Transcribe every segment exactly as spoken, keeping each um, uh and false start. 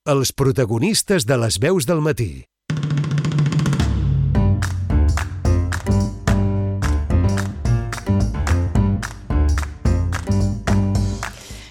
els protagonistes de les veus del matí.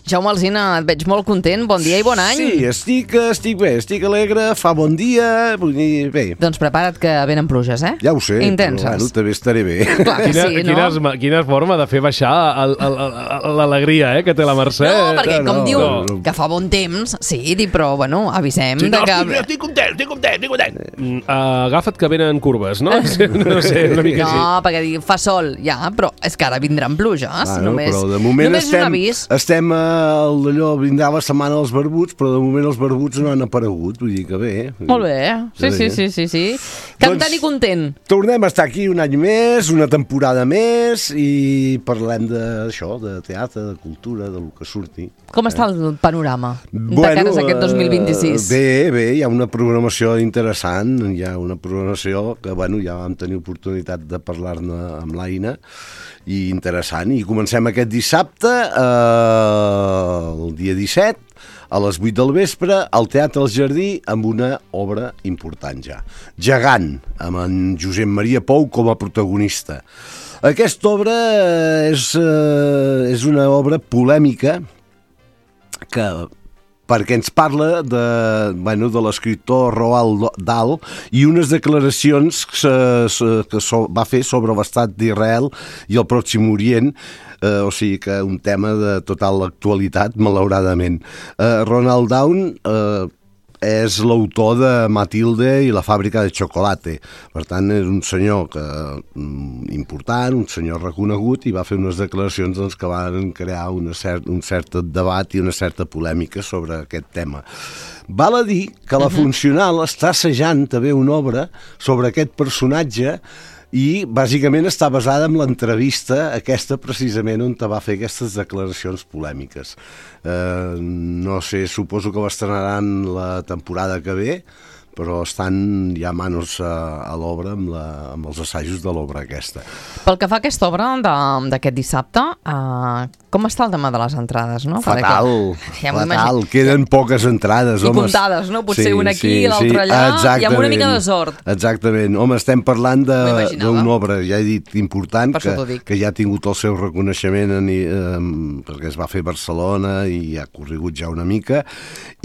Jaume Alsina, et veig molt content. Bon dia i bon any. Sí, estic, estic bé, estic alegre, fa bon dia, vull dir, bé. Doncs prepara't que venen pluges, eh? Ja ho sé, intenses. Però bueno, també estaré bé. Clar que quina, sí, no? quina, quina forma de fer baixar l'alegria eh, que té la Mercè. No, perquè com no, diu no. que fa bon temps, sí, di, però bueno, avisem Sí, de no, que... estic, estic content, estic content, estic content. Mm, uh, agafa't que venen curves, no? No sé, una mica no, així. perquè diu, fa sol, ja, però és que ara vindran pluges. Bueno, només però de moment només estem, un avís. estem a allò, vindrà la setmana dels barbuts, però de moment els barbuts no han aparegut, vull dir que bé. Molt bé, sí, sí, sí, sí, sí. Cantant Doncs i content. Tornem a estar aquí un any més, una temporada més, i parlem d'això, de teatre, de cultura, de lo que surti. Com està el panorama Bueno, de cares a aquest dos mil vint-i-sis? Eh, bé, bé, hi ha una programació interessant, hi ha una programació que, bueno, ja vam tenir oportunitat de parlar-ne amb l'Aina, i interessant, i comencem aquest dissabte, eh, el dia disset, a les vuit del vespre, al Teatre El Jardí, amb una obra important ja. Gegant, amb en Josep Maria Pou com a protagonista. Aquesta obra és, eh, és una obra polèmica que... perquè ens parla de, bueno, de l'escriptor Roald Dahl i unes declaracions que, que so, va fer sobre l'estat d'Israel i el Pròxim Orient, eh, o sigui que un tema de total actualitat, malauradament. Eh, Roald Dahl eh, és l'autor de Matilde i la fàbrica de xocolata. Per tant, és un senyor que, important, un senyor reconegut, i va fer unes declaracions doncs, que van crear una cert, un cert debat i una certa polèmica sobre aquest tema. Val a dir que la Funcional està assajant també una obra sobre aquest personatge i bàsicament està basada en l'entrevista aquesta precisament on te va fer aquestes declaracions polèmiques. Eh, no sé, suposo que l'estrenaran la temporada que ve, però estan ja manos a, a l'obra amb, la, amb els assajos de l'obra aquesta. Pel que fa a aquesta obra d'aquest dissabte, uh, com està el tema de les entrades? No? Fatal, ja fatal, queden poques entrades. I homes. comptades, no? Potser sí, una aquí sí, i l'altra sí, allà, i amb una mica de sort. Exactament. Home, estem parlant d'una obra, ja he dit, important, que, que ja ha tingut el seu reconeixement en, eh, perquè es va fer a Barcelona i ha corregut ja una mica,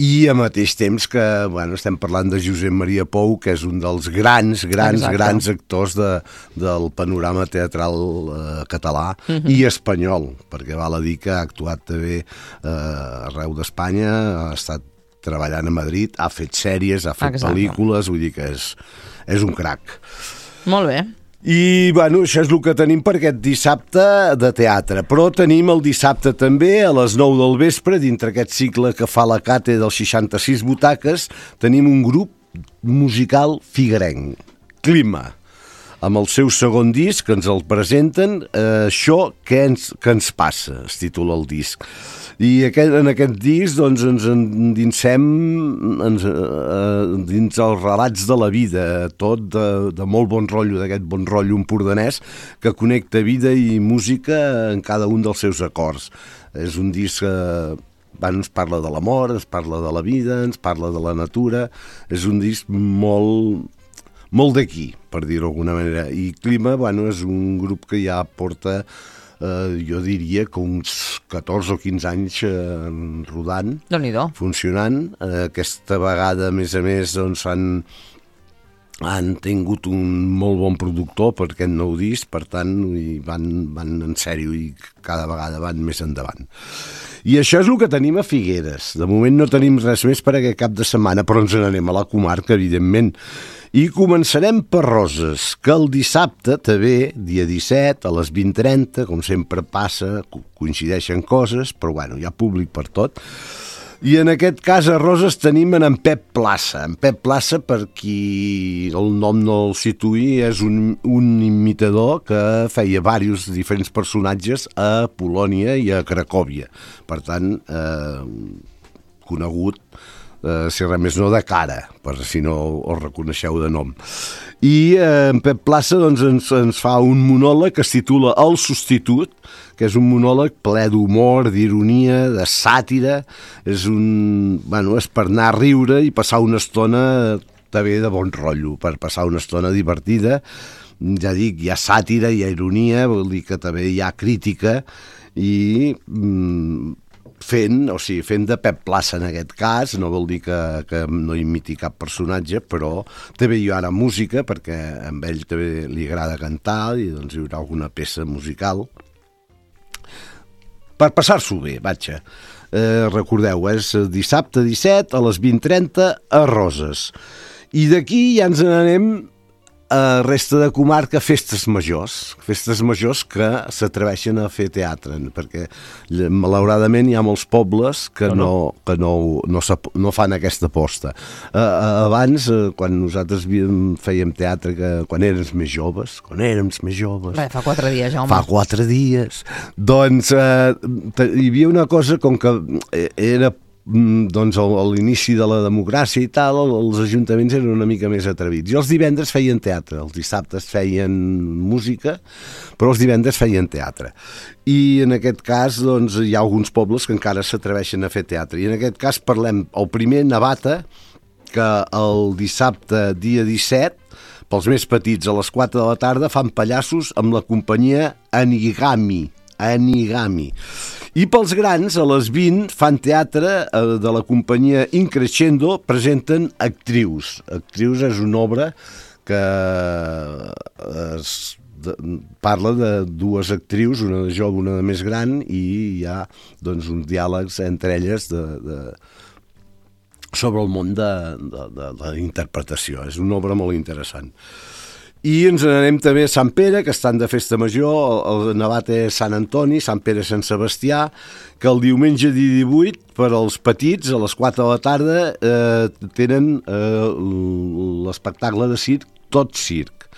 i al mateix temps que, bueno, estem parlant de Josep Maria Pou, que és un dels grans, grans, Exacte. grans actors de, del panorama teatral eh, català uh-huh. i espanyol, perquè val a dir que ha actuat també eh, arreu d'Espanya, ha estat treballant a Madrid, ha fet sèries, ha fet Exacte. pel·lícules, vull dir que és, és un crac. Molt bé. I, bueno, això és el que tenim per aquest dissabte de teatre. Però tenim el dissabte també, a les nou del vespre, dintre aquest cicle que fa la Cate dels seixanta-sis butaques, tenim un grup musical figuerenc, Clima, amb el seu segon disc, que ens el presenten, eh, Això que ens, que ens passa, es titula el disc. I aquest, en aquest disc doncs, ens endinsem ens, eh, dins els relats de la vida, tot de, de molt bon rotllo, d'aquest bon rotllo empordanès que connecta vida i música en cada un dels seus acords. És un disc que bueno, ens parla de l'amor, ens parla de la vida, ens parla de la natura, és un disc molt, molt d'aquí, per dir-ho d'alguna manera. I Clima, bueno, és un grup que ja porta Uh, jo diria que uns catorze o quinze anys uh, rodant, funcionant. Uh, aquesta vegada, a més a més, doncs, han, han tingut un molt bon productor per aquest nou disc, per tant, i van, van en sèrio i cada vegada van més endavant. I això és el que tenim a Figueres. De moment no tenim res més per aquest cap de setmana, però ens n'anem a la comarca, evidentment. I començarem per Roses, que el dissabte també, dia disset, a les vint trenta, com sempre passa, coincideixen coses, però bueno, hi ha públic per tot. I en aquest cas a Roses tenim en Pep Plaça. En Pep Plaça, per qui el nom no el situï, és un, un imitador que feia diversos diferents personatges a Polònia i a Cracòvia. Per tant, eh, conegut eh, si res més no de cara, per si no us reconeixeu de nom. I eh, en Pep Plaça doncs, ens, ens fa un monòleg que es titula El substitut, que és un monòleg ple d'humor, d'ironia, de sàtira, és, un, bueno, és per anar a riure i passar una estona també de bon rotllo, per passar una estona divertida. Ja dic, hi ha sàtira, hi ha ironia, vol dir que també hi ha crítica, i mm, fent, o sigui, fent de Pep Plaça en aquest cas, no vol dir que, que no imiti cap personatge, però també hi haurà música, perquè a ell també li agrada cantar, i doncs hi haurà alguna peça musical. Per passar-s'ho bé, vaja. Eh, recordeu, és dissabte disset a les vint trenta a Roses. I d'aquí ja ens n'anem a resta de comarca, festes majors, festes majors que s'atreveixen a fer teatre, perquè malauradament hi ha molts pobles que no, no, que no, no, no fan aquesta aposta. Uh, abans, uh, quan nosaltres fèiem teatre, que, quan érem més joves, quan érem més joves... Bé, fa quatre dies, Jaume. Fa quatre dies. Doncs uh, hi havia una cosa com que era doncs a l'inici de la democràcia i tal, els ajuntaments eren una mica més atrevits. I els divendres feien teatre, els dissabtes feien música, però els divendres feien teatre. I en aquest cas doncs, hi ha alguns pobles que encara s'atreveixen a fer teatre. I en aquest cas parlem, el primer, Navata, que el dissabte, dia disset, pels més petits, a les quatre de la tarda, fan pallassos amb la companyia Anigami. Anigami. I pels grans, a les vint, fan teatre de la companyia Increscendo, presenten Actrius. Actrius és una obra que es, de, parla de dues actrius, una de jove, una de més gran, i hi ha doncs, uns diàlegs entre elles de, de, sobre el món de, de, de la interpretació. És una obra molt interessant. I ens n'anem també a Sant Pere, que estan de festa major, el Navata és Sant Antoni, Sant Pere Sant Sebastià, que el diumenge dia divuit, per als petits, a les quatre de la tarda, eh, tenen eh, l'espectacle de circ Tot Circ.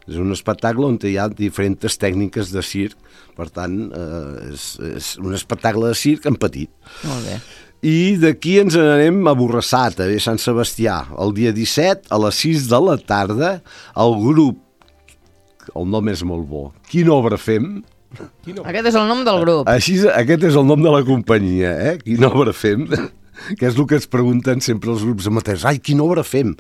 És un espectacle on hi ha diferents tècniques de circ, per tant, eh, és, és un espectacle de circ en petit. Molt bé. I d'aquí ens n'anem a Borrassà, també Sant Sebastià, el dia disset, a les sis de la tarda, el grup, el nom és molt bo, Quina obra fem? Quina... Aquest és el nom del grup. Així, aquest és el nom de la companyia, eh? Quina obra fem? Que és el que es pregunten sempre els grups amateurs. Ai, quina obra fem?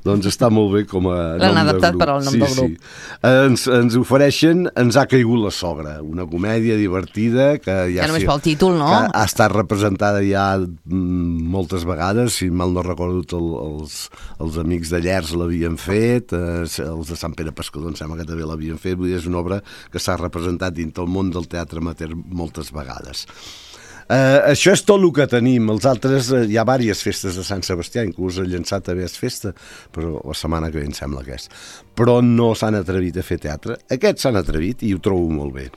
Doncs està molt bé com a nom de grup. L'han adaptat per al nom sí, del grup. Sí. Ens, ens ofereixen Ens ha caigut la sogra, una comèdia divertida que ja, ja només sí, pel títol, no? Que ha estat representada ja moltes vegades, si mal no recordo el, els, els amics de Llers l'havien fet, eh, els de Sant Pere Pescador em sembla que també l'havien fet, vull dir, és una obra que s'ha representat dins del món del teatre amateur moltes vegades. Uh, això és tot el que tenim. Els altres, uh, hi ha diverses festes de Sant Sebastià, inclús el Llançat també és festa, però la setmana que ve em sembla que és. Però no s'han atrevit a fer teatre. Aquests s'han atrevit i ho trobo molt bé.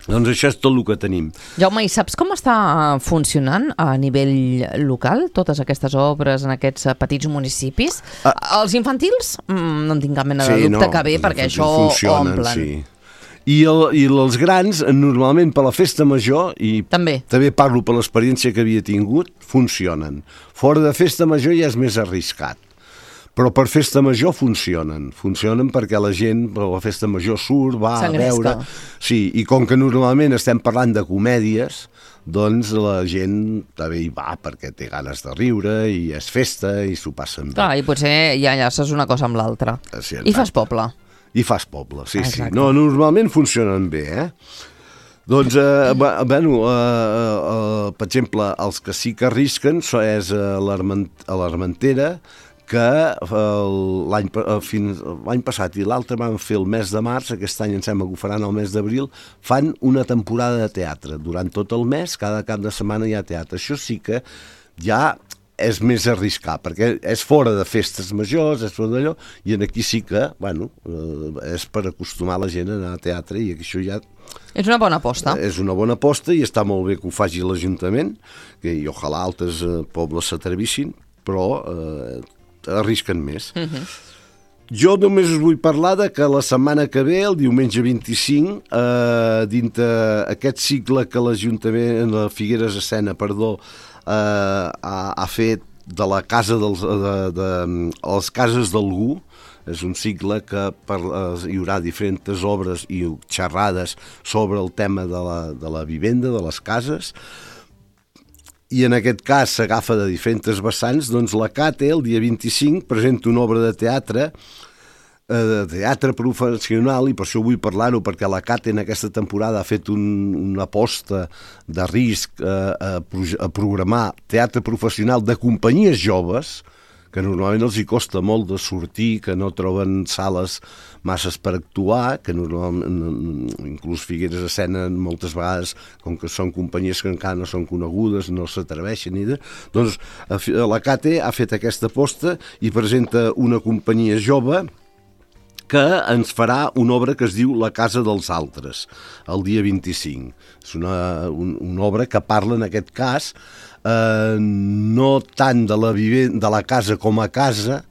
Doncs això és tot el que tenim. Jaume, i saps com està funcionant a nivell local totes aquestes obres en aquests petits municipis? Ah. Els infantils, mm, no en tinc cap mena de sí, dubte no, que bé, perquè això funcionen, omplen. Sí. I, el, I els grans, normalment per la festa major, i també, també parlo per l'experiència que havia tingut, funcionen. Fora de festa major ja és més arriscat. Però per festa major funcionen. Funcionen perquè la gent per la festa major surt, va a veure... Sí, i com que normalment estem parlant de comèdies, doncs la gent també hi va perquè té ganes de riure i és festa i s'ho passen bé. Clar, i potser ja enllaces una cosa amb l'altra. Sí, I fas poble. I fas poble, sí, exacte. Sí. No, normalment funcionen bé, eh? Doncs, eh, bueno, eh, eh, per exemple, els que sí que arrisquen és a l'Armentera, que l'any l'any passat i l'altre van fer el mes de març, aquest any em sembla que ho faran el mes d'abril, fan una temporada de teatre. Durant tot el mes, cada cap de setmana hi ha teatre. Això sí que ja és més arriscar, perquè és fora de festes majors, és fora d'allò, i aquí sí que, bueno, és per acostumar la gent a anar a teatre, i això ja... És una bona aposta. És una bona aposta, i està molt bé que ho faci l'Ajuntament, que i ojalà altres eh, pobles s'atrevissin, però eh, arrisquen més. Uh-huh. Jo només us vull parlar de que la setmana que ve, el diumenge vint-i-cinc, eh, dintre aquest cicle que l'Ajuntament, la Figueres Escena, perdó, Uh, ha, ha fet de la casa dels, de, de, de les cases d'algú. És un cicle que per, eh, hi haurà diferents obres i xerrades sobre el tema de la, de la vivenda, de les cases, i en aquest cas s'agafa de diferents vessants. Doncs la Cate, el dia vint-i-cinc, presenta una obra de teatre, eh, de teatre professional, i per això vull parlar-ho, perquè la Cate en aquesta temporada ha fet un, una aposta de risc eh, a, a programar teatre professional de companyies joves, que normalment els hi costa molt de sortir, que no troben sales masses per actuar, que normalment, inclús Figueres Escena moltes vegades, com que són companyies que encara no són conegudes, no s'atreveixen ni de... Doncs la Cate ha fet aquesta aposta i presenta una companyia jove que ens farà una obra que es diu La casa dels altres, el dia vint-i-cinc. És una, un, una obra que parla, en aquest cas, eh, no tant de la, vive, de la casa com a casa,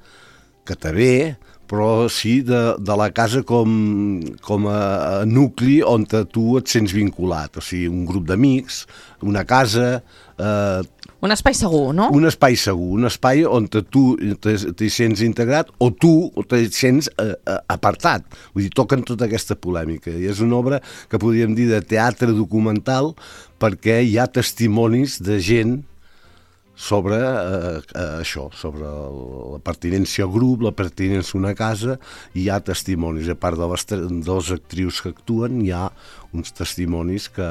que també, però sí de, de la casa com, com a, a nucli on tu et sents vinculat. O sigui, un grup d'amics, una casa... Eh, un espai segur, no? Un espai segur, un espai on tu t'hi sents integrat o tu t'hi sents eh, apartat. Vull dir, toquen tota aquesta polèmica. I és una obra que podríem dir de teatre documental, perquè hi ha testimonis de gent sobre eh, això, sobre la pertinència al grup, la pertinència a una casa, i hi ha testimonis. A part de les dues actrius que actuen, hi ha uns testimonis que,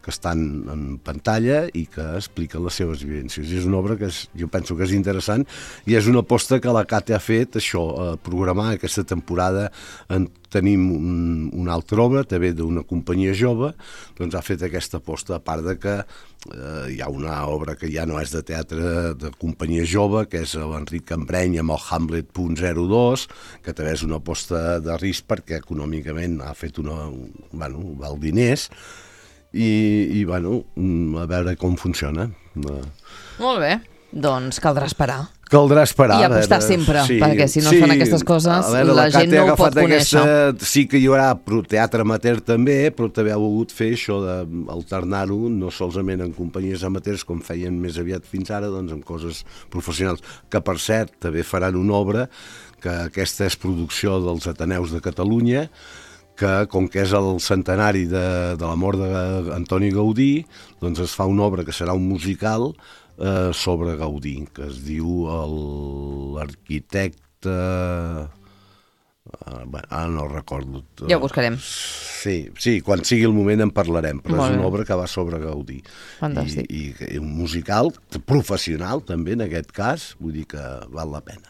que estan en pantalla i que expliquen les seves vivències. I és una obra que és, jo penso que és interessant, i és una aposta que la Cate ha fet, això, a programar aquesta temporada. En tenim un, una altra obra, també d'una companyia jove, doncs ha fet aquesta aposta, a part de que eh, hi ha una obra que ja no és de teatre de companyia jove, que és l'Enric Cambreny amb el Hamlet punt zero dos, que també és una aposta de risc perquè econòmicament ha fet una... bueno, val diners, i, i bueno, a veure com funciona. Molt bé, doncs caldrà esperar. Caldrà esperar. I apostar veure, sempre, sí, perquè si no sí, es fan aquestes coses, veure, la, la gent no ho pot conèixer. Aquesta, sí que hi haurà teatre amateur també, però també ha volgut fer això d'alternar-ho, no solament en companyies amateurs, com feien més aviat fins ara, doncs en coses professionals, que per cert també faran una obra, que aquesta és producció dels Ateneus de Catalunya, que com que és el centenari de, de la mort d'Antoni Gaudí, doncs es fa una obra que serà un musical eh, sobre Gaudí, que es diu l'arquitecte... Uh, bueno, ara no recordo. Ja ho buscarem. Sí, sí, quan sigui el moment en parlarem, però Molt és una bé. Obra que va sobre Gaudí. Fantàstic. I, i un musical professional també en aquest cas, vull dir que val la pena.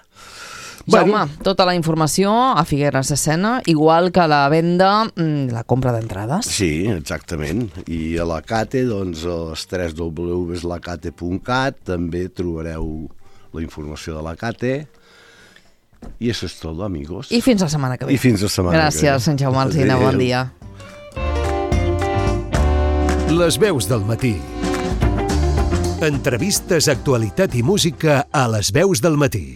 Jaume, bueno, tota la informació a Figueres Escena, igual que la venda, la compra d'entrades. Sí, exactament. I a la Cate, doncs, a les tres w punt la cate punt cat també trobareu la informació de la Cate. I això és tot, amigos. I fins la setmana que ve. I fins la setmana Gràcies, que ve. Gràcies, Sant Jaume Alsina, bon dia. Les veus del matí. Entrevistes, actualitat i música a Les veus del matí.